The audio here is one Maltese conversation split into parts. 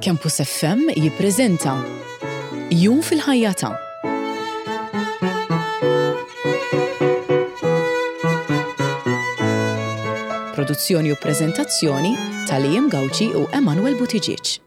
Campus FM jippreżenta Jum fil-ħajja ta' Produzzjoni u preżentazzjoni ta' Liam Gauci u Emanuel Buttigieg.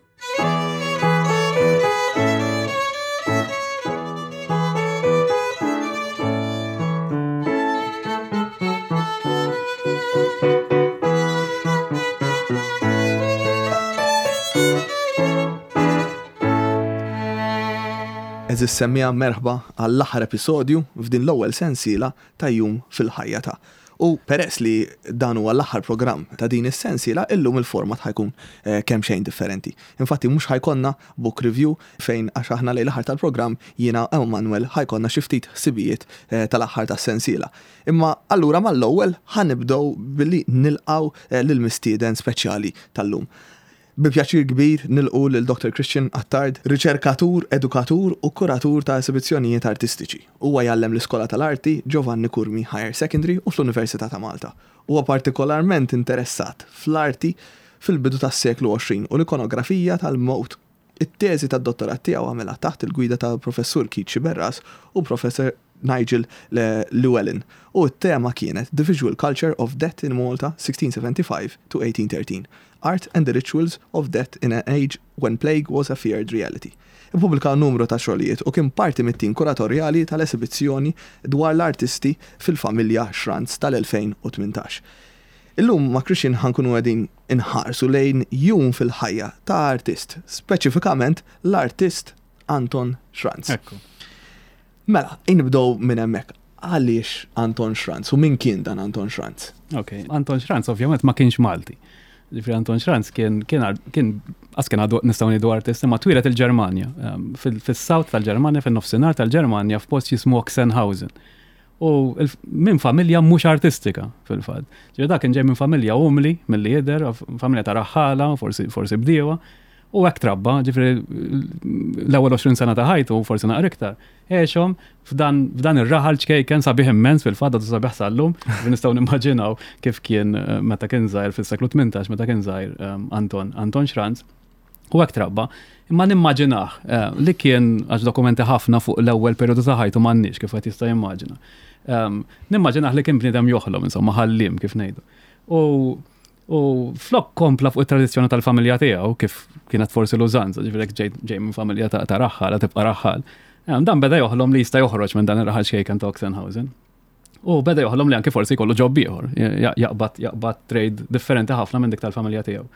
Eżis semmija merħba għall-aħħar episodju f'din l-ewwel sensiela ta' Jum fil-ħajja ta'. U peress li dan huwa l-aħħar programm ta' din is-sensiela, illum il-format ħa jkun kemxejn differenti. Infatti mhux ħa jkollna book review fejn għax aħna lejn l-aħħar tal-programm jiena u Manuel ħa jkollna xi ftit ħsibijiet tal-aħħar tas-sensiela. Imma allura mal-ewwel ħa nibdew billi nilqgħu lill-mistieden speċjali tal-lum. Bi pjaċir kbir nilqu lil Dottor Christian Attard, riċerkatur, edukatur u kuratur ta' esibizzjonijiet artistiċi. Huwa jgħallem l-Iskola tal-Arti Giovanni Curmi Higher Secondary u fl-Università ta' Malta. Huwa partikolarment interessat fl-arti fil-bidu tas-seklu 20 u l-ikonografija tal-mewt. It-teżi tad-dottorat tiegħu għamilha taħt il-gwida ta' Professur Keith Sciberras u Professor Nigel Llewellyn u t-tema kienet The Visual Culture of Death in Malta 1675 to 1813, Art and the Rituals of Death in an Age When Plague Was a Feared Reality. Ippubblika numru ta' xogħlijiet u kien parti mit-tim kuratorjali tal-esibizzjoni dwar l-artisti fil-familja Schranz tal-2018. Illum ma' Christian ħa nkunu qegħdin inħarsu lejn jum fil-ħajja ta' artist, speċifikament l-artist Anton Schranz. Ekku. Mela, nibdew minn hemmhekk. Għaliex Anton Schranz u min kien dan Anton Schranz? Ok, Anton Schranz ovvjament ma kienx Malti. Ġifri Anton Schranz kien kien kien għas kien għadu nistgħu ngħidu artist imma twieled il-Ġermanja, ehm, fis-south tal-Ġermanja, fin-nofsinhar tal-Ġermanja f'post jismu Oxenhausen. U minn familja mhux artistika fil-fatt. Ġifieri dak kien ġej minn familja umli milli jidher, familja ta' raħħala, forsi forsi bdiewa. U hekk trabba, ġifieri l-ewwel 20 sena ta' ħajtu, forsi naqra iktar, għexhom f'dan, f'dan ir-raħal ċkejken sabiħ immens fil-fatt għadu sabiħ sal-lum, nistgħu nimmaġinaw kif kien eh, meta kien żgħir fis-seklu 18 meta kien żgħir eh, Anton Anton Schranz. U hekk trabba, imma nimmaġinah eh, li kien għax dokumenti ħafna fuq l-ewwel perjodu ta' ħajtu m'għandniex kif qed jista' jimmaġina. Ehm, nimmaġinah li kien bniedem joħlom, insomma, ħallim kif ngħidu. U U flok kompla fuq it-tradizzjoni tal-familja tiegħu, kif kienet forsi l-użanza, ġifieri ġej ġej minn familja ta' raħħal, tibqa' raħħal. Eh, dan beda joħlom li jista' joħroġ minn dan ir-raħal xejken ta' Oxenhausen. U beda joħlom li anke forsi jkollu ġob ieħor, jaqbad jaqbad trade differenti ħafna minn dik tal-familja tiegħu.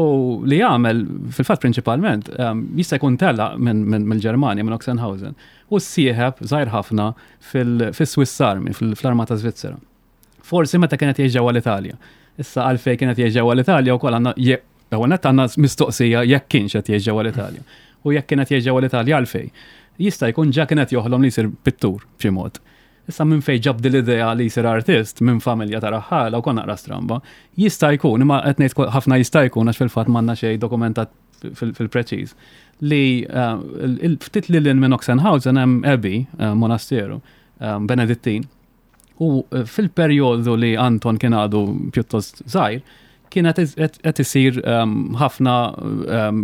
U li jagħmel fil-fatt prinċipalment ehm, jista' jkun tela mill-Ġermanja minn Oxenhausen u ssieħeb żgħir ħafna fil-Swiss Army, fl-Armata Svizzera. Forsi meta kienet jgħix ġewwa l-Italja. Issa għalfejn kienet jgħix ġewwa l-Italja wkoll għandna ewwel nett għandna mistoqsija jekk kienx qed jgħix ġewwa l-Italja. U jekk kienet jgħix ġewwa l-Italja għalfejn. Jista' jkun ġa kienet joħlom li jsir pittur b'xi mod. Issa minn fejn ġab din l-idea li jsir artist minn familja ta' raħħala wkoll naqra stramba. Jista' jkun, imma qed ngħid ħafna jista' jkun għax fil-fatt m'għandna xejn dokumentat fil-preċiż, li eh, ftit lil minn Oxenhausen hemm Abbey, eh, monasteru, eh, Benedittin, U eh, fil-perjodu li Anton kien għadu pjuttost żgħir, kienet qed isir ehm, ħafna ehm,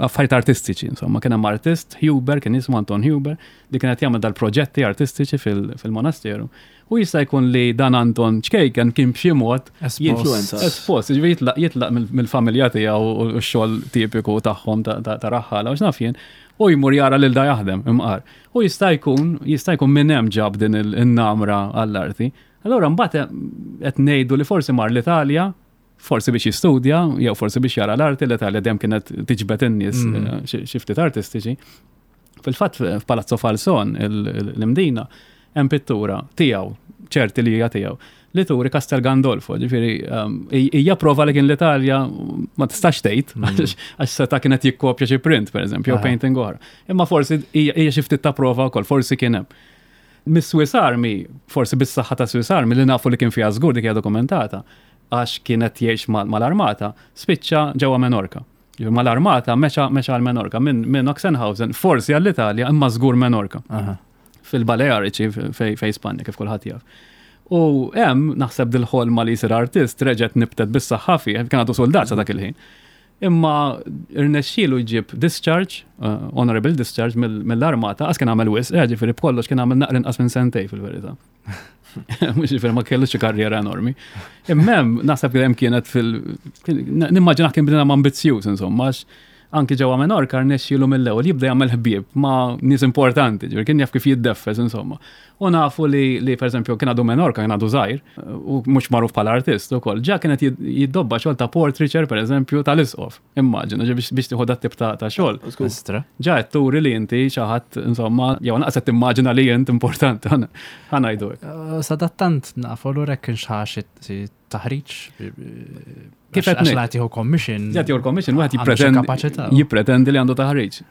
affarijiet artistiċi, insomma, kien hemm artist Huber, kien jismu Anton Huber, li kien qed jagħmel dal-proġetti artistiċi fil-monasteru. U jista' jkun li dan Anton ċkejken kien b'xi mod Influenza. Espost, jiġifieri jitlaq jitlaq mill-familja tiegħu u x-xogħol tipiku tagħhom ta' raħħala u x'naf jien, u jmur jara lil da jaħdem imqar. U jista' jkun, jista' jkun minn hemm ġab din in-namra għall-arti. Allura mbagħad qed ngħidu li forsi mar l-Italja, forsi biex jistudja, jew forsi biex jara l-arti, l-Italja dejjem kienet tiġbed in-nies mm. eh, xi ftit artistiċi. Fil-fatt f'Palazzo Falson, l-Imdina, hemm pittura tiegħu, ċerti li hija tiegħu, li turi Castel Gandolfo, ġifieri um, hija prova li kien l-Italja ma tistax tgħid mm. għax seta' kienet jikkopja xi print pereżempju, jew painting oħra. Imma forsi hija xi ftit ta' prova wkoll, forsi kien hemm. Mis-Swiss Army, forsi bis-saħħa ta' Swiss Army li nafu li kien fiha żgur dik hija dokumentata, għax kienet jgħix mal-armata, spiċċa ġewwa Menorka. Mal-armata mexa mexa għal Menorka minn min Oxenhausen, forsi għall-Italja imma żgur Menorka. Fil-Baleariċi fej Spanja kif kulħadd jaf. U hemm naħseb dil-ħolma li jsir artist reġgħet nibtet bis-saħħa fih, kien għadu soldat sa dak il-ħin. Imma rnexxielu jġib discharge, honorable discharge mill-armata, għas kien għamel wisq, ġifieri b'kollox kien għamel naqra inqas minn sentej fil-verità. Mhux ġifieri ma kellux xi karriera enormi. Imma hemm naħseb li hemm kienet fil nimmaġina kien bniedem ambizzjuż insomma għax anki ġewwa Menorca rnexxielu mill-ewwel jibda jagħmel ħbieb ma' nies importanti, ġifieri kien jaf kif jiddeffes insomma. U nafu li li pereżempju kien għadu Menorca kien għadu żgħir u mhux magħruf bħala artist ukoll, ġa kienet jiddobba xogħol ta' portraiture pereżempju tal-isqof. Immaġina, ġi biex tieħu dat tip ta' xogħol. Istra. Ġa qed turi li inti xi ħadd insomma, jew naqas qed timmaġina li int importanti ħa ngħidu hekk. Eh, sadattant nafu l hekk kienx ħa xi taħriġ. Kif qed ngħid? Qed jieħu commission. Qed jieħu commission, wieħed jippretendi jippretendi li għandu taħriġ.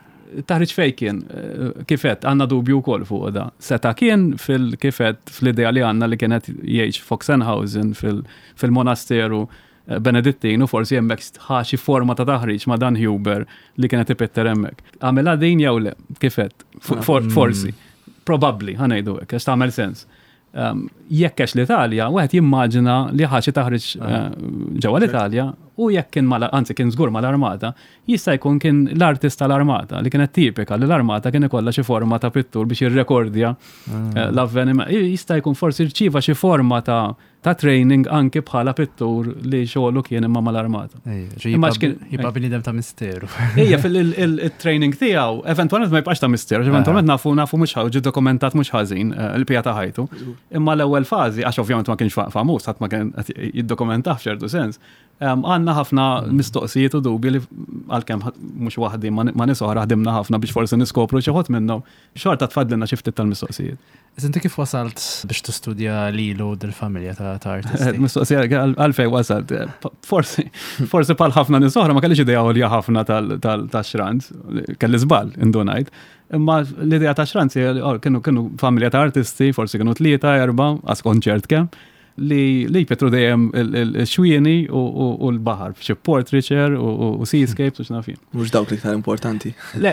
Taħriġ fej kien, eh, kif qed għandna dubju wkoll fuq da. Seta kien fil kif qed fl-idea li għandna li kienet jgħix Foxenhausen fil-monasteru Benedittin u forsi hemmhekk ħa xi forma ta' taħriġ ma' Dan Huber li kienet ipitter hemmhekk. Għamilha din jew le, kif għedt? Forsi. Probabbli, ħa ngħidu hekk, għax tagħmel sens. Ehm, jekk għex l-Italja, wieħed jimmaġina li ħa xi taħriġ ah. eh, ġewwa l-Italja u jekk kien mal anzi kien żgur mal-armata, jista' jkun kien l-artist tal-armata li kienet tipika li l-armata kien ikollha xi forma ta' pittur biex jirrekordja ah. eh, l-avveniment. Jista' jkun forsi rċiva xi forma ta' ta' training anki bħala pittur li xogħlu kien imma mal-armata. Imma jibqa' bniedem ta' misteru. Ejja, fil-training tiegħu, eventwalment ma jibqax ta' misteru, eventwalment nafu nafu mhux ġi dokumentat mhux ħażin eh, il-pija ta' ħajtu. Imma l-ewwel fażi, għax ovvjament ma kienx famuż, ħadd ma kien jiddokumentah f'ċertu sens, Għandna ħafna mistoqsijiet u dubji li għalkemm mhux waħdi ma' nies oħra ħdimna ħafna biex forsi niskopru xi ħodd minnhom, xorta tfadlilna xi ftit tal-mistoqsijiet. Iżda inti kif wasalt biex tistudja lilu dil-familja ta' artisti? Mistoqsija għalfejn wasalt. Forsi, forsi bħal ħafna nies oħra ma kellix idea għolja ħafna tal-Schranz, kelli żball indunajt. Imma l-idea ta' Schranz oh, kienu kienu familja ta' artisti, forsi kienu tlieta, erba', għas konċert kemm li li jpittru dejjem il-xwieni u l-baħar, xi portraiture u seascapes u x'naf jien. Mhux dawk l-iktar importanti. Le.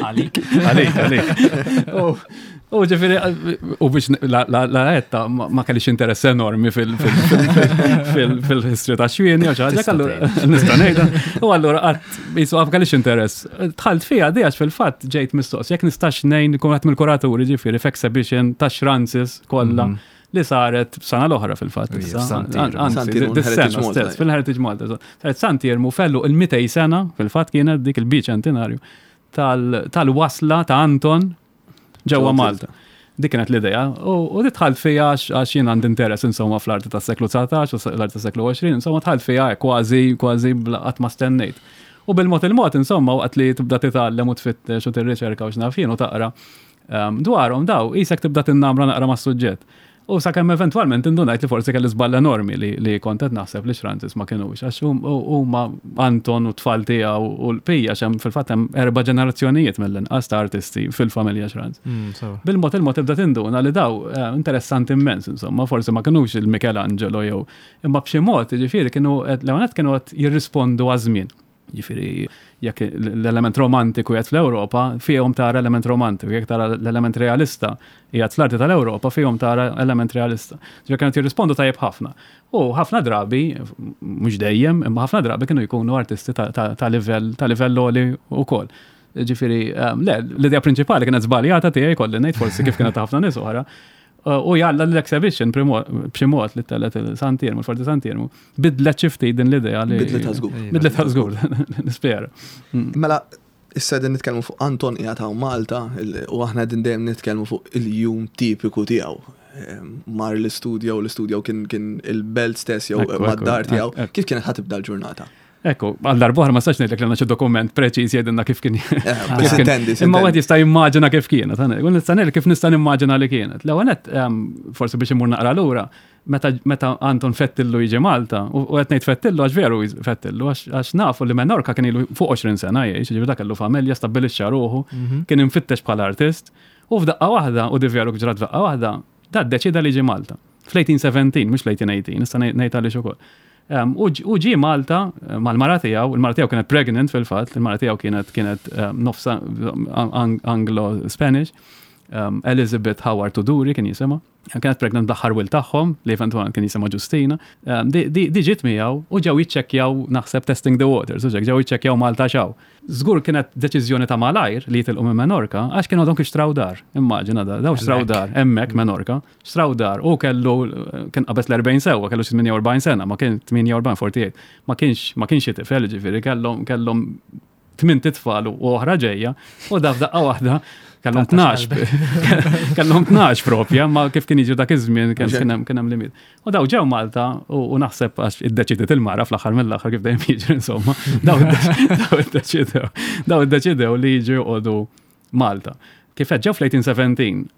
Għalik. Għalik, għalik. U ġifieri, u biex la għetta ma kellix interess enormi fil-history ta' xwieni u xi ħaġa, allura nista' ngħidha. U allura qatt jisu ma kellix interess. Dħalt fiha di għax fil-fatt ġejt mistoqsi jekk nistax ngħin kun qed mill-kuraturi ġifieri f'exhibition ta' Schranzes kollha. Li saret sena l-oħra fil-fatt. Anzi, stess, fil-Heritage Malta. Saret Sant'Iermu fellu il-200 sena, fil-fatt kienet dik il-biċentinarju, tal-wasla ta' Anton ġewwa Malta. Dik kienet l-idea. U dħalt fija għax jien għandi interess insomma fl-arti tas-seklu 19 u l-arti tas-seklu 20, insomma dħalt fija kważi kważi qatt ma stennejt. U bil-mod il-mod insomma waqt li tibda titgħallem u tfittex u tirriċerka u x'naf jien u taqra Dwarhom daw, qisek tibda tinnamra naqra mas-suġġett. U sakemm eventwalment indunajt li forsi kelli żball enormi li, li kont qed naħseb li Schranzis ma kinux, għax huma Anton u t-tfal tiegħu u l-pija xem fil-fatt hemm erba' ġenerazzjonijiet mill-inqas ta' artisti fil-familja Schranz. Mm, Bil-mod il-mod tibda tinduna li daw eh, interessanti immens, insomma, forsi ma kinux il-Michelangelo jew imma b'xi mod, jiġifieri kienu l-ewwel kienu qed jirrispondu għaż-żmien. Jiġifieri jekk l-element romantiku qiegħed fl-Ewropa, fihom tara element romantiku, jekk tara l-element realista qiegħed fl-arti tal-Ewropa, fihom tara element realista. Ġifieri kienu jirrispondu tajjeb ħafna. U ħafna drabi, mhux dejjem, imma ħafna drabi kienu jkunu artisti ta' livell ta' livell għoli wkoll. Ġifieri, ehm, le, l-idea prinċipali kienet żbaljata tiegħi kolli ngħid forsi kif kienet ħafna nies oħra. U jalla l-exhibition b'xi mod li tellet il-Sant'Iermu, il-Forti Sant'Iermu, bidlet xi ftit din l-idea li. Bidlet żgur. Bidlet żgur, nispera. Mm. Mela, issa din nitkellmu fuq Anton qiegħed hawn Malta u aħna din dejjem nitkellmu fuq il-jum tipiku tiegħu. Ehm, mar l-istudjo, l-istudjo kien il-belt stess jew mad-dar tiegħu. Kif kienet ħatibda l-ġurnata? Ekku, għal darbohra ma stax ngħidlek li għandna xi dokument preċiż jgħidilna kif kien. Eh, Imma wieħed jista' jimmaġina kif kienet. U nista' ngħid kif nista' nimmaġina li kienet. L-ewwel nett ehm, forsi biex imur naqra lura, meta Anton Fettillu jiġi Malta, u qed ngħid Fettillu għax veru Fettillu għax nafu li Menorka kien ilu fuq 20 sena jgħix, ġifieri dak kellu familja, stabbilixxa ruħu, mhm. kien imfittex bħala artist, u f'daqqa waħda, u di veru ġrat f'daqqa waħda, da ddeċida li jiġi Malta. Fl-1817, mhux fl-1818, nista' ngħid għaliex ukoll. U ġie Malta eh, mal-mara tiegħu, il-mara tiegħu kienet pregnant fil-fatt, il-mara tiegħu kienet kienet nofsa Anglo-Spanish, Elizabeth Howard Tuduri kien jisimha. Kienet pregnant bl-aħħar wild tagħhom, li eventwalment kien jisimha Ġustina. Di ġiet miegħu u ġew jiċċekkjaw naħseb testing the waters, u ġew jiċċekkjaw Malta x'hawn. Żgur kienet deċiżjoni ta' malajr li jitilqu minn Menorka għax kienu għadhom kif xtraw dar. Immaġina da, daw xtraw dar hemmhekk Menorka, xtraw dar u kellu kien qabeż l-40 sewwa, kellu xi 48 sena, ma kien 48, 48. Ma kienx ma kienx xi tifel, ġifieri kellhom kellhom tmint itfal u oħra ġejja, u da f'daqqa waħda kellhom 12. Kellhom 12 propja, ma kif kien jiġu dak iż-żmien kien hemm limit. U daw ġew Malta u naħseb għax iddeċidiet il-mara fl-aħħar mill-aħħar kif dejjem jiġri insomma, daw iddeċidew daw iddeċidew li jiġu joqogħdu Malta. Kif qed ġew fl-1817,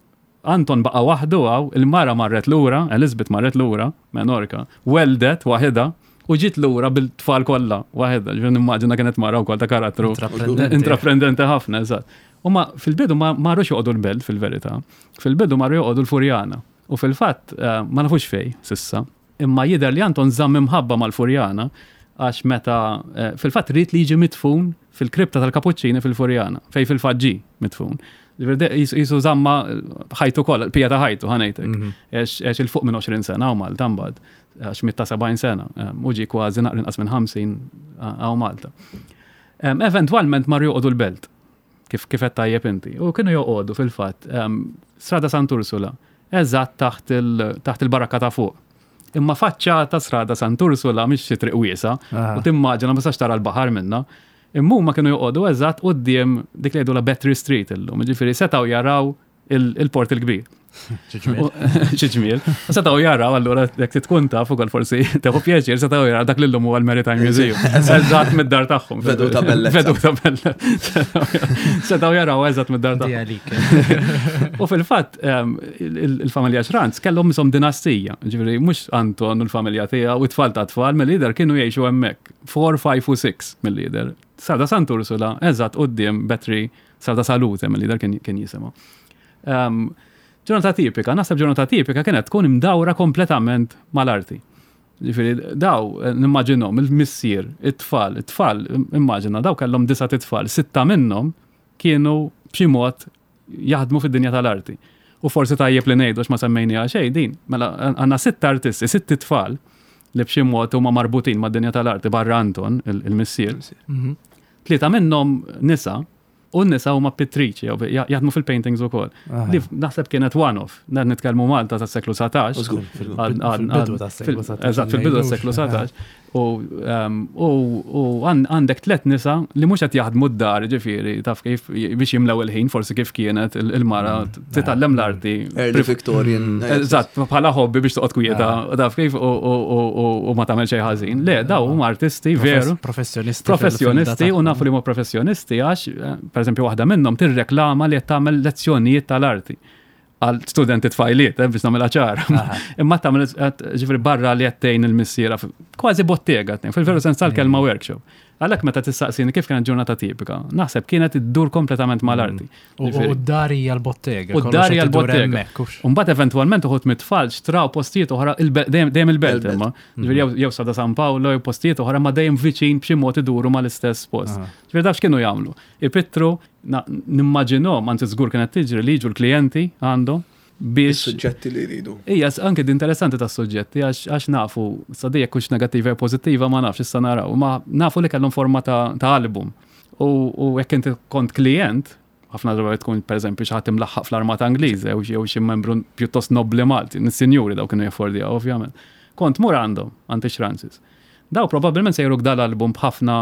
Anton baqa' waħdu hawn, il-mara marret lura, Elizabeth marret lura, Menorca, welldet waħidha u ġiet lura bil-tfal kollha waħedha. Ġifieri nimmaġina kienet mara wkoll ta' karattru intraprendenti ħafna, eżatt. U ma fil-bidu ma marrux joqogħdu l-belt fil-verità. Fil-bidu marru joqogħdu l-Furjana. U fil-fatt eh, ma nafux fej sissa. Imma jidher li Anton żamm imħabba mal-Furjana għax meta eh, fil-fatt ried li jiġi midfun fil-kripta tal-Kapuċċini fil-Furjana, fej fil-fatt ġie midfun. Jisu żamma ħajtu kollha, pija ta' ħajtu ħanejtek. Mhm. Għex il-fuq minn 20 sena u Malta mbagħad, għax mitta 70 sena, eh, u ġie kważi naqra inqas minn 50 għaw Malta. Eventwalment marru joqogħdu l-belt kif kif qed tajjeb inti. U kienu joqogħdu fil-fatt Strada Sant'Ursula, eżatt taħt taħt il-barakka ta' fuq. Imma faċċata Strada Sant'Ursula mhix xi triq wiesa, u timmaġina ma tistax tara l-baħar minnha. Imma huma kienu joqogħdu eżatt quddiem dik li jgħidulha Battery Street illum, jiġifieri setgħu jaraw il-Port il-Kbir. Xi ġmiel. U setgħu jaraw allura jekk tkun taf ukoll forsi teħu pjaċir setgħu jaraw dak li llum huwa l-Maritime Museum. Eżatt mid-dar tagħhom. Veduta bellezza. Veduta bellezza. Setgħu jaraw eżatt mid-dar tagħhom. U fil-fatt il-familja Schranz kellhom isom dinastija, ġifieri mhux Anton u l-familja tiegħu u t-tfal ta' tfal mill-lider kienu jgħixu hemmhekk. 4, 5 u 6 mill-lider. Sada Sant'Ursula eżatt quddiem Battery Strada Salute mill-lider kien jisimha. Ehm, ġurnata tipika, naħseb ġurnata tipika kienet tkun imdawra kompletament mal-arti. Ġifieri daw eh, nimmaġinhom il-missier, it-tfal, it-tfal, immaġina daw kellhom disa' tfal, sitta minnhom kienu b'xi mod jaħdmu fid-dinja tal-arti. U forsi tajjeb li ngħidu ma semmejniha xejn din, mela għandna sitt artisti, sitt tfal li b'xi mod huma marbutin mad-dinja tal-arti barra Anton, il-missier. Mhm. Tlieta minnhom nisa, u n-nisa huma pittriċi, jaħdmu fil-paintings ukoll. Li naħseb kienet one-off, dan nitkellmu Malta tas-seklu 19. Fil-bidu tas-seklu 19. Eżatt, fil-bidu tas-seklu 19. Ehm, u għandek tlet nisa li mhux qed jaħdmu d-dar, ġifieri, taf kif biex jimlew il-ħin, forsi kif kienet il-mara mm. titgħallem l-arti. Early Victorian. Mm. Eżatt, bħala hobby biex toqgħod kwieta, ah. taf kif u ma tagħmel xejn ħażin. Le, daw huma artisti veru. Professjonisti. Professjonisti u nafu li huma professjonisti għax, eh, pereżempju, waħda minnhom tirreklama li qed tagħmel lezzjonijiet tal-arti għal studenti tfajliet, eh, biex nagħmilha ċara. Imma tagħmel ġifieri barra li qed tgħin il-missiera kważi bottega, fil-veru sens tal-kelma mm. workshop. Għalhekk meta tistaqsini kif kienet ġurnata tipika, naħseb kienet iddur kompletament mal-arti. Mm. U d-dar hija l-bottega. U d-dar hija l-bottega. U mbagħad eventwalment uħud mit-tfal xtraw postijiet oħra dejjem il-belt imma. Mm. Ġifieri jew Sada San Paolo jew postijiet oħra ma dejjem viċin b'xi mod iduru mal-istess post. Ġifieri daf x'kienu jagħmlu. Ipittru, nimmaġinhom, anzi żgur kienet tiġri li jiġu l-klijenti għandhom biex. Is-suġġetti li jridu. Ija, anke di interessanti tas-suġġetti għax nafu, sa di jekk hux negattiva jew pożittiva ma nafx issa naraw, ma nafu li kellhom forma ta' album. U jekk inti kont klijent, ħafna drabi tkun pereżempju xi ħadd imlaħħaq fl-armata Ingliża jew xi membru pjuttost nobbli Malti, nis-sinjuri daw kienu jaffordjaw ovvjament. Kont mur għandhom, għand ix-Francis. Daw probabbilment se juruk dal-album b'ħafna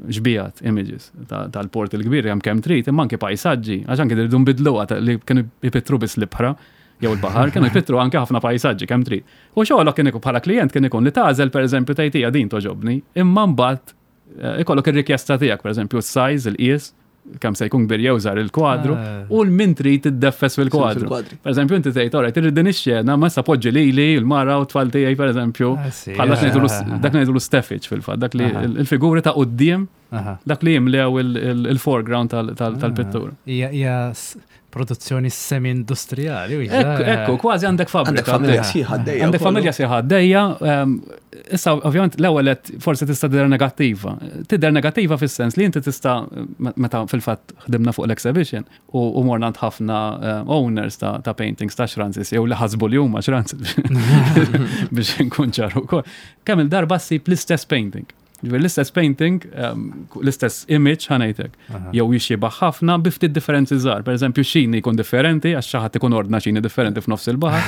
xbijat, images, tal-Port il-Kbir hemm kemm trid, imma anki pajsaġġi, għax anki rridu nbidluha li kienu jpittru biss l-ibħra jew il-baħar, kienu jpittru anke ħafna pajsaġġi kemm trid. U xogħolok kien ikun bħala klijent kien ikun li tagħżel pereżempju tgħid hija din togħġobni, imma mbagħad eh, ikollok ir-rikjesta tiegħek, pereżempju s-size, il-qies, kemm se jkun kbir jew żgħar il-kwadru ah. u l-min trid tiddeffes fil-kwadru. Per eżempju, inti tgħid orajt irrid din ix-xena ma issa poġġi lili, il-mara u t-tfal tiegħi pereżempju. Ah, bħal dak ngħidulu steffage fil-fatt, dak li il-figuri ta' quddiem. Dak li jimlew il-foreground tal-pittura. Hija produzzjoni semi-industrijali. Ekku, kważi għandek fabbrika. Għandek familja sħiħa għaddejja. Għandek familja sħiħa għaddejja. Issa, ovvjament, l-ewwel forsi tista' tidher negattiva. Tidher negattiva fis-sens li inti tista' meta fil-fatt ħdimna fuq l-exhibition u morna għand ħafna owners ta' paintings ta' Schranzis jew li ħasbu li huma Schranzis biex nkun ċaru ukoll. Kemm il-darba ssib l-istess painting. Ġifieri l-istess painting, l-istess image ħa ngħidlek, jew jixxiebah ħafna bi ftit differenzi żgħar. Pereżempju xini jkun differenti għax xi ħadd ikun ordna xini differenti f'nofs il-baħar,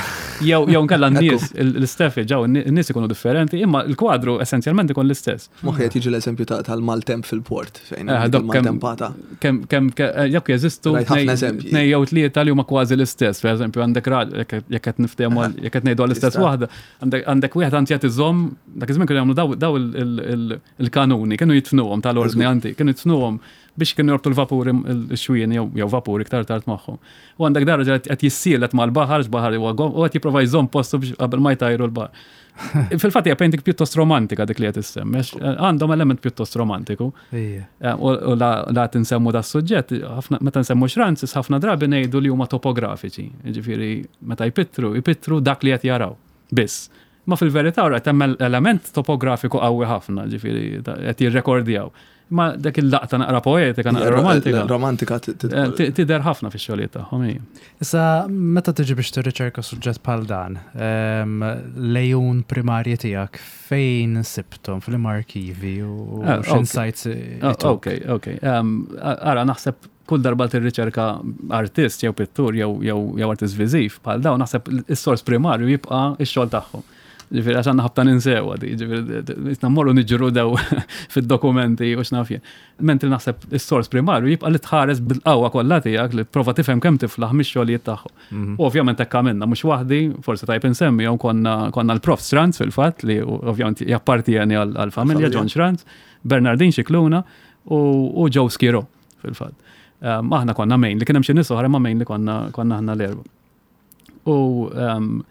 jew nkella n-nies, l-isteffi ġew n-nies ikunu differenti, imma l-kwadru essenzjalment ikun l-istess. Moħħi qed jiġi l-eżempju tal-maltemp fil-port fejn il-maltempata. Kemm jekk jeżistu tnej jew tlieta li huma kważi l-istess, pereżempju għandek jekk qed niftehmu jekk qed ngħidu għall-istess waħda, Għandek wieħed anzi qed iżomm, dak iż-żmien kienu jagħmlu daw il-kanuni, kienu jitfnuhom tal-ordni anti, kienu jitfnuhom biex kienu jorbtu l-vapuri x-xwien jew vapuri iktar tard magħhom. U għandek dar raġel qed jissielet mal-baħar, x'baħar huwa u qed jipprova jżomm postu biex qabel ma jtajru l-baħar. Fil-fatt hija painting pjuttost romantika dik li qed issemmi, għandhom element pjuttost romantiku. U la tinsemmu da suġġett, meta nsemmu Schranzis ħafna drabi ngħidu li huma topografiċi, jiġifieri meta jpittru, jpittru dak li qed jaraw biss. Ma fil-verità ora hemm element topografiku qawwi ħafna, ġifieri qed jirrekordjaw. Ma dak il-laqta naqra poetika, naqra romantika. Romantika tidher ħafna fix-xogħlijiet tagħhom. Issa meta tiġi biex tirriċerka suġġett bħal dan, l-għejun primarji tiegħek fejn sibthom f'liema arkivi u ah, x'insights ah, Ok, ok. Ara naħseb kull darba tirriċerka artist jew pittur jew artist viżiv bħal dawn naħseb is-sors primarju jibqa' x-xogħol tagħhom. Ġifieri għax għandna ħabta ninsewa di, ġifieri mmorru niġru dew fid-dokumenti u x'naf jien. Mentri naħseb is-sors primarju jibqa' li tħares bil-qawwa kollha tiegħek li prova tifhem kemm tiflaħ mix-xogħlijiet tagħhom. Mhm. U ovvjament hekk għamilna mhux waħdi, forsi tajb insemmi jew konna konna l-Prof Schranz fil-fatt li ovvjament jappartieni għall-familja John Schranz, Bernardin Scicluna u Joe Schirò. fil-fatt. Ehm, aħna konna main li kien hemm xi nies oħra ma main li konna konna aħna l-erba. U ehm,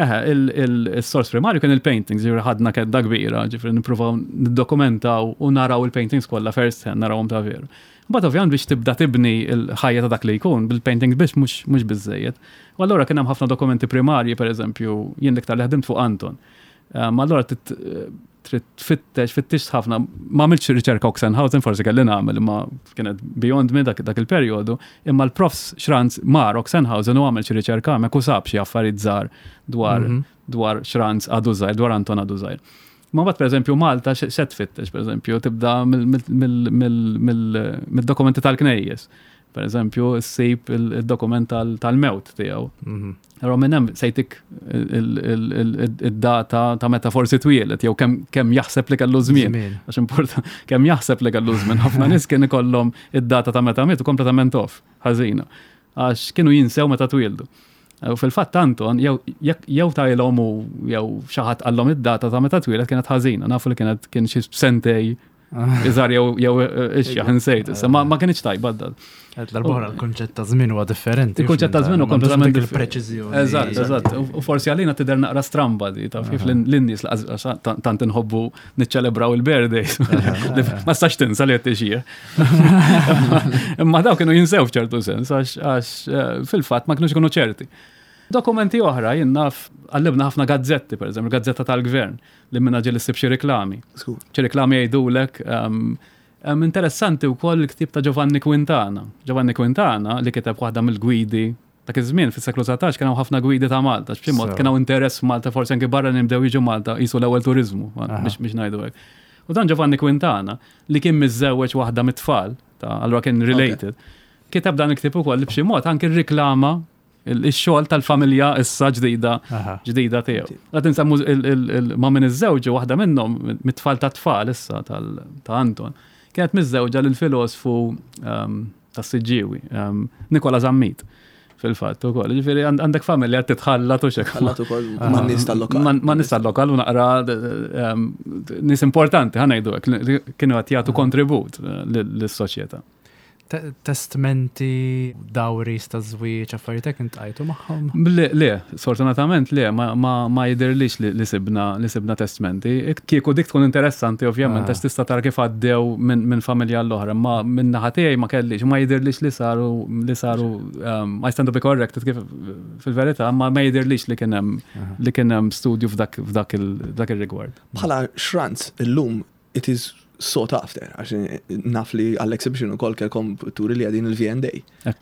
eħe, il-sors primarju kien il-paintings, ġifri ħadna kedda kbira, ġifri nippruvaw niddokumentaw u naraw il-paintings kollha first hand, narawhom ta' veru. Mbagħad ovvjament biex tibda tibni l-ħajja ta' dak li jkun, bil-paintings biex mhux biżejjed. U allura kien hemm ħafna dokumenti primarji, pereżempju, jien l-iktar li ħdimt fuq Anton. Ma allura trid tfittex, fittixt ħafna, ma għamiltx riċerka Oxenhausen, forsi kelli nagħmel, imma kienet beyond me dak, dak il-perjodu, imma l-profs Schranz mar Oxenhausen u għamel xi riċerka hemmhekk u sab xi affarijiet żgħar dwar mm -hmm. dwar Schranz għadu żgħir, dwar Anton għadu żgħir. Ma mbagħad pereżempju Malta x'se tfittex, pereżempju, tibda mill-dokumenti tal-knejjes. Per eżempju, ssib il-dokument tal-mewt tiegħu. Mhm. Però minn hemm sejtik id-data ta' meta forsi twielet jew kemm jaħseb li kellu żmien. Għax importa kemm jaħseb li kellu żmien. Ħafna nies kien ikollhom id-data ta' meta mietu kompletament off, ħażina. Għax kienu jinsew meta twieldu. U fil-fatt Anton, jew tajlhom u jew xi ħadd qallhom id-data ta' meta twielet kienet ħażina, nafu li kienet kien xi sentej Iżar jew jew ixjaħ insejt, issa ma kienx tajba d L-arbora l-konċett ta' żmien huwa differenti. Il-konċett ta' żmien huwa kompletament il-preċiżjoni. Eżatt, eżatt. U forsi għalina tidher naqra stramba di taf kif lin-nies tant inħobbu niċċelebraw il-birthdays. Ma stax tinsa li qed tixjih. Imma daw kienu jinsew f'ċertu sens għax eh, fil-fatt ma kienux ikunu ċerti. Dokumenti oħra jien naf għallibna ħafna gazzetti, per eżempju, gazzetta tal-gvern. li minna ġieli ssib xi riklami. Xi riklami jgħidulek ehm, ehm, interessanti wkoll il-ktieb ta' Giovanni Quintana. Giovanni Quintana li kiteb waħda mill-gwidi dak iż-żmien fis-seklu 19 kien hawn ħafna gwidi ta' Malta, b'xi mod kien hawn interess f'Malta forsi anke barra nibdew jiġu Malta qisu l-ewwel turiżmu biex biex ngħidu hekk. U dan Giovanni Quintana li kien miżżewweġ waħda mit-tfal, ta' allura kien related, kiteb dan il-ktieb ukoll li b'xi mod anke rriklama il-xogħol tal-familja issa ġdida ġdida tiegħu. Qed insemmu ma' min iżżewġu waħda minnhom mit-tfal ta' tfal issa ta' Anton. Kienet miżżewġa lil filosfu ehm, tas-Siġġiewi, ehm, Nikola Zammit fil-fatt ukoll. Ġifieri għandek familja titħallat u xek. Ħallat ukoll ma' nies tal-lokal. Ma' nies tal-lokal u naqra ehm, nies importanti ħa ngħidu hekk li kienu qed jagħtu kontribut eh, lis-soċjetà. Testmenti, dawris ta' żwieġ, affarijiet hekk intqajtu magħhom? Le, le, sfortunatament le, ma jidhirlix li sibna li sibna testmenti. Kieku dik tkun interessanti ovvjament ah. għax tista' tara kif għaddew minn familja l-oħra, ma minn naħa tiegħi ma kellix, ma jidhirlix li saru li saru um, I stand to be corrected kif fil-verità, ma ma jidhirlix li kien hemm li kien hemm studju f'dak f'dak il-rigward. Bħala xranz illum it is sought after, għax naf li għall-exhibition ukoll kelkom turi li għadin il-V&A,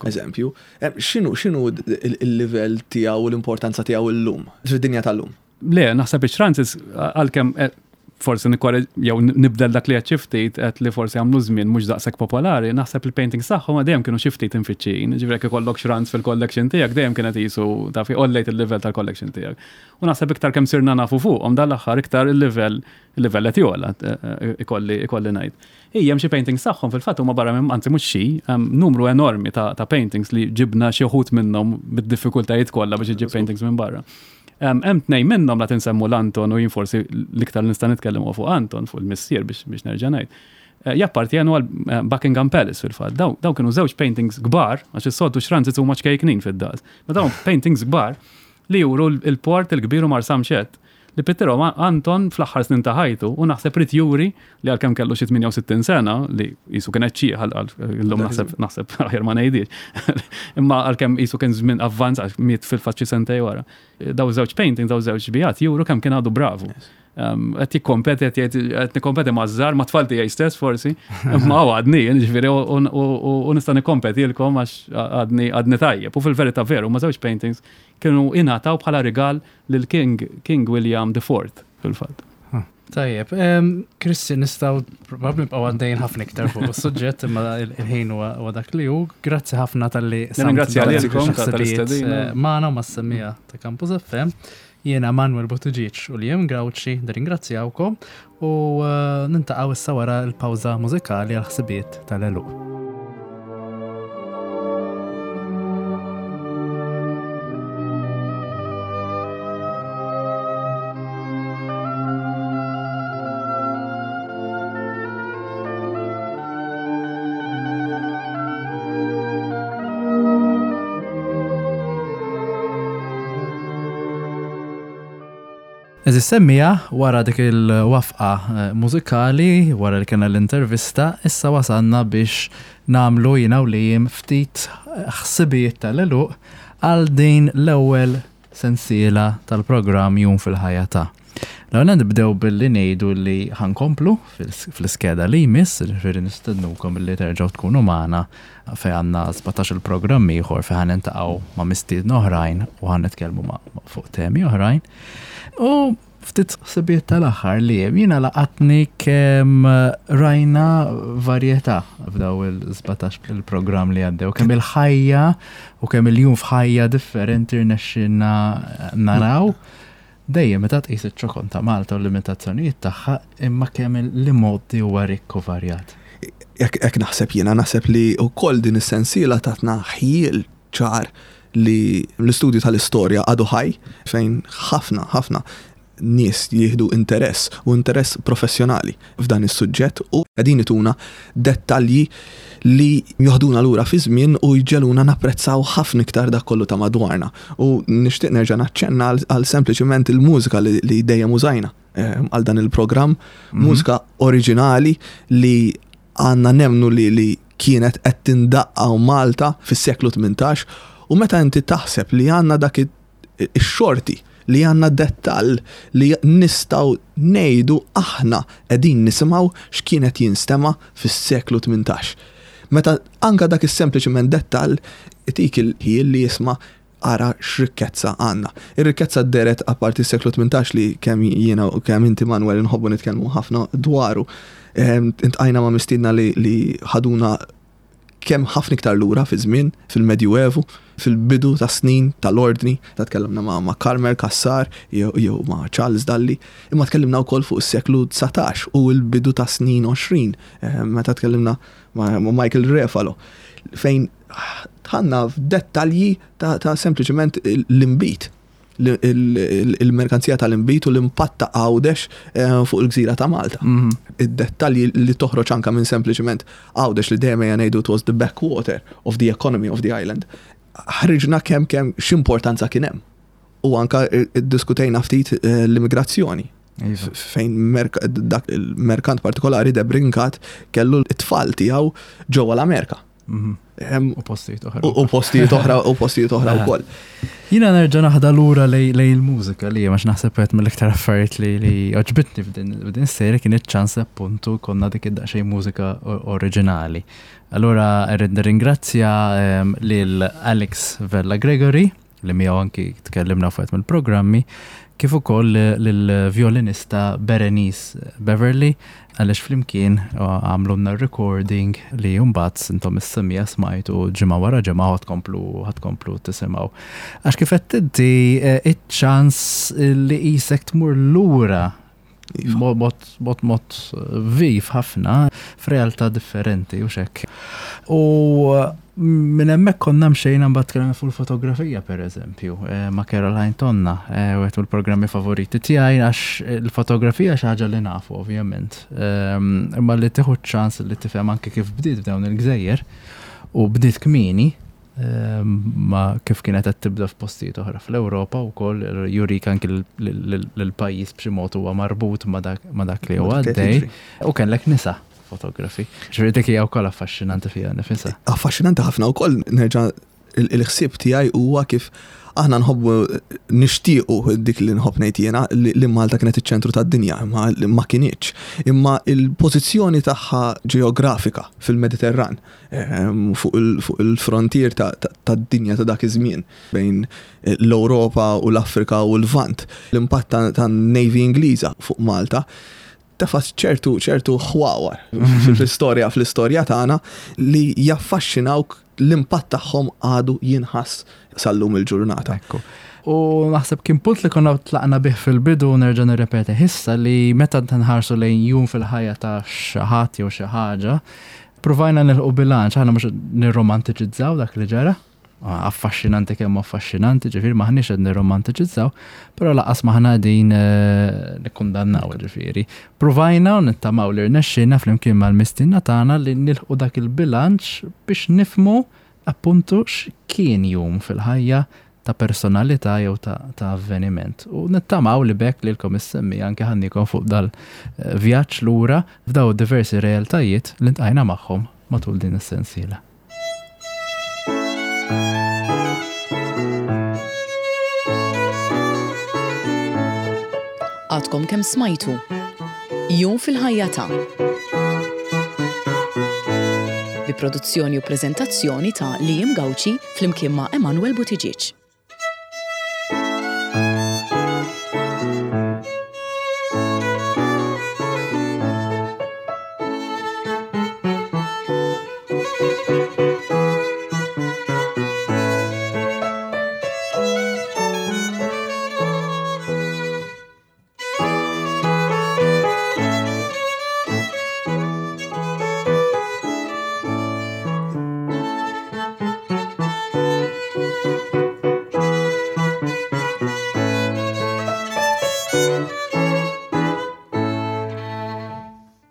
eżempju. Eh, x'inhu x'inhu il-livell tiegħu u l-importanza tiegħu llum, fid-dinja tal-lum? Le, naħseb ix-Francis għalkemm eh, forsi nikkorreġ jew nibdel dak li qed xi ftit qed li forsi għamlu żmien mhux daqshekk popolari, naħseb il-paintings tagħhom dejjem kienu xi ftit imfittxijin. Ġifieri jekk ikollok xranz fil-collection tiegħek dejjem kienet qisu taf għollejt il-livell tal-collection tiegħek. U naħseb iktar kemm sirna nafu fuqhom dan l-aħħar iktar il-livell Il-livell qed jogħla, ikolli ikolli ngħid. Ija hemm xi paintings tagħhom fil-fatt huma barra minn anzi mhux xi, numru enormi ta' ta' paintings li ġibna xi wħud minnhom bid-diffikultajiet kollha biex iġġib paintings minn barra. Hemm tnejn minnhom la tinsemmu l-Anton u jien forsi l-iktar li nista' nitkellem huwa fuq Anton, fuq il-missier biex biex nerġa' ngħid. Eh, jappartjenu għal eh, Buckingham Palace fil-fatt. Daw, daw kienu żewġ paintings kbar, għax is-soltu xranzit huma ċkejknin fid-daqs. Ma dawn paintings kbar li juru l-port il-kbir u Marsamxett li pittirhom Anton fl-aħħar snin ta' ħajtu u naħseb ried juri li għalkemm kellu xi 68 sena li qisu kien qed xieħ illum naħseb naħseb aħjar ma ngħidix. Imma għalkemm qisu kien żmien avvanz għax miet fil-fatt xi sentej wara. Daw żewġ paintings, daw żewġ bijat juru kemm kien għadu bravu. Qed jikkompeti, qed jgħid qed nikkompeti maż-żgħar, ma' tfal tiegħi stess forsi, imma għadni, ġifieri u nista' nikkompetilkom għax għadni għadni tajjeb. U fil-verità veru, ma' żewġ paintings kienu ingħataw bħala rigal lil King King William the Fourth fil-fatt. Tajjeb, Kristi, nistgħu probabbli nibqgħu għaddejjin ħafna iktar fuq is-suġġett imma il-ħin huwa dak li hu. Grazzi ħafna talli Nirringrazzja lilkom tal-istedina. Eh, magħna u mas-semmija ta' Campus FM. Jiena Manuel Buttigieg u Liam Gauci nirringrazzjawkom u eh, nintaqgħu issa wara l-pawża mużikali għal ħsibiet tal-għeluq. Eżis semmija, wara dik il-wafqa eh, mużikali, wara li kena l-intervista, issa wasalna biex namlu jina u li ftit ħsibijiet tal-eluq għal din l-ewwel sensiela tal-programm Jum fil-ħajja ta'. L-ewwel nibdew billi ngħidu li ħankomplu fl-iskeda li jmiss, ġifieri nistednukom li terġgħu tkunu magħna fejn għandna 17 il-programm ieħor fejn ħa niltaqgħu ma' mistiedna oħrajn u ħa nitkellmu fuq temi oħrajn. U ftit ħsibiet tal-aħħar li jiena laqatni kemm rajna varjetà f'daw il-17 il-programm li għaddew, kemm il-ħajja u kemm il-jum f'ħajja differenti rnexxinna naraw. Dejjem meta tqis iċ-ċokon ta' Malta u l-limitazzjonijiet tagħha, imma kemm l-imgħoddi huwa rikk u varjat. Hekk naħseb jiena, naħseb li wkoll din is-sensiela tatna ħjiel ċar li l-istudju tal-istorja għadu ħaj fejn ħafna, ħafna nies jieħdu interess u interess professjonali f'dan is-suġġett u qegħdin ituna dettalji li joħduna lura fiż-żmien u jġegħluna napprezzaw ħafna iktar dak kollu ta' madwarna. U nixtieq nerġa' naċċenna għal sempliċiment il-mużika li dejjem użajna eh, għal dan il-programm, mhm. mużika oriġinali li għandna nemnu li li kienet qed tindaqqa Malta fis-seklu 18 u meta inti taħseb li għandna dak ix-xorti li għandna dettall li nistgħu ngħidu aħna qegħdin nisimgħu x'kien qed jinstema' fis-seklu 18. Meta anke dak is-sempliċiment dettall itik il-ħjiel li jisma' ara x'rikkezza għandna. Ir-rikkezza dehret apparti s-seklu 18 li kemm jiena u kemm inti Manuel inħobbu nitkellmu ħafna dwaru. Ehm, intqajna ma' mistiedna li ħaduna kemm ħafna iktar lura fiż-żmien, fil-Medjuevu, fil-bidu tas-snin tal-Ordni, ta' tkellimna ma' ma' Carmel Cassar jew jew ma' Charles Dalli, imma tkellimna wkoll fuq is-seklu 19 u l-bidu tas-snin 20, eh, meta tkellimna ma' Michael Refalo, fejn dħalna f'dettalji ta', ta' sempliċement l-inbid. il-merkanzija tal-inbid u l-impatt ta' Għawdex eh, fuq il-gżira ta' Malta. Mhm. Id-dettalji li toħroġ anka minn sempliċement Għawdex li dejjem ejja ngħidu it was the backwater of the economy of the island. Ħriġna kemm kemm x'importanza kien hemm. U anka diskutejna ftit eh, l-immigrazzjoni. Iva. Fejn dak il-merkant partikolari Debrinkat kellu t-tfal tiegħu ġewwa l-Amerika. Mhm. U postijiet oħra. U postijiet oħra u postijiet oħra wkoll. Jiena nerġa' naħda lura lej il-mużika li għax naħseb qed mill-iktar affarijiet li li għoġbitni f'din is-serje kien iċ-ċans appuntu konna dik id-daqsxejn mużika oriġinali. Allura rrid nirringrazzja ehm, lil Alex Vella Gregory li miegħu anki tkellimna fuq mill-programmi, kif ukoll lill-vjolinista Berenice Beverly għaliex flimkien għamlulna recording li mbagħad intom is-semmiegħa smajtu ġimgħa wara ġimgħa ħa tkomplu ħa tkomplu tisimgħu. Għax kif qed inti iċ-ċans li qisek tmur lura Iva. Mod, mod, mod viv ħafna f'realtà differenti u xek. U minn hemmhekk konna mxejna mbagħad tkellimna fuq il-fotografija pereżempju eh, ma' Caroline Tonna, eh, wieħed mill-programmi favoriti tiegħi għax il-fotografija xi ħaġa li nafu ovvjament. Ehm, imma li tieħu ċans li tifhem anke kif bdiet f'dawn il-gżejjer u bdiet kmieni ma kif kienet qed tibda f'postijiet oħra fl-Ewropa wkoll jurik anki l-pajjiż b'xi mod huwa marbut ma' dak li huwa għaddej u kellek nisa fotografi. Ġifieri dik hija wkoll affaxxinanti fiha nifisha. Affaxxinanti ħafna wkoll nerġa' il-ħsieb tiegħi huwa kif aħna nħobbu nixtiequ dik li nħobb ngħid jiena li Malta kienet iċ-ċentru tad-dinja, imma ma kinitx. Imma il-pożizzjoni tagħha ġeografika fil-Mediterran Ehm, fuq il-frontier tad-dinja ta' dak iż-żmien bejn eh, l-Ewropa u l-Afrika u l-Lvant. L-impatt tan-Navy Ingliża fuq Malta tefa' ċertu ċertu ħwawar fl-istorja fl-istorja tagħna li jaffaxxinawk l-impatt tagħhom għadu jinħass sal-lum il-ġurnata. Ekku. U naħseb kien punt li konna tlaqna bih fil-bidu nerġa' nirrepeti issa li meta nħarsu lejn jum fil-ħajja ta' xi ħadd jew xi ħaġa, Pruvajna nilħqu bilanċ, aħna mhux nirromantiċizzaw dak li ġara, affaxxinanti kemm affaxxinanti, ġifieri m'aħniex qed nirromantiċizzaw, però laqas m'aħna qegħdin eh, nikkundannaw ġifieri. Pruvajna u nittamaw li rnexxina flimkien mal-mistiedna tagħna li nilħqu dak il-bilanċ biex nifhmu appuntu x'kien jum fil-ħajja ta' personalità jew ta' avveniment. U nittamaw li b'hekk lilkom is-semmiegħa anke ħadniekom fuq dal-vjaġġ lura f'dawn id-diversi realtajiet li ntqajna magħhom matul din is-sensiela. Għadkom kemm smajtu Jum fil-ħajja ta' bi produzzjoni u preżentazzjoni ta' Liam Gauci flimkien ma' Emanuel Buttigieg.